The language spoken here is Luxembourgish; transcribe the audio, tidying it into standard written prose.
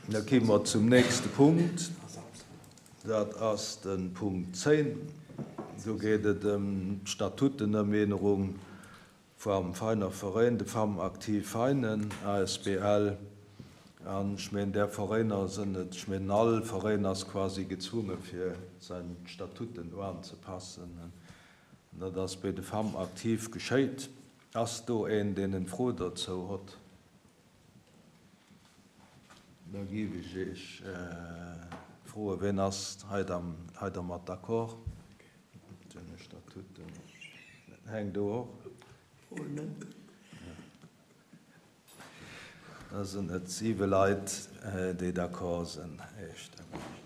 Da gi mer zum nächste Punkt. Dat ass de Punkt 10. Do geet et ëm d'Statutenëmeenerung vam Veiner Veräin, de Femmes Actives Veinen asbl. An ech meen, där Veräiner sënn et, ech meen, all Veräin ass quasi gezwunge fir säin Statuten uanzepassen. An dat ass béi de Femmes Actives geschéit. Ass do een, deen en Fro dozou hott? Da géif ech Iech froen, Ween ass hei dermat d'accord? Deene Statuten. Heng, du och? Da sinn et siwe Leit, déi d'accord sinn. Eestëmmeg.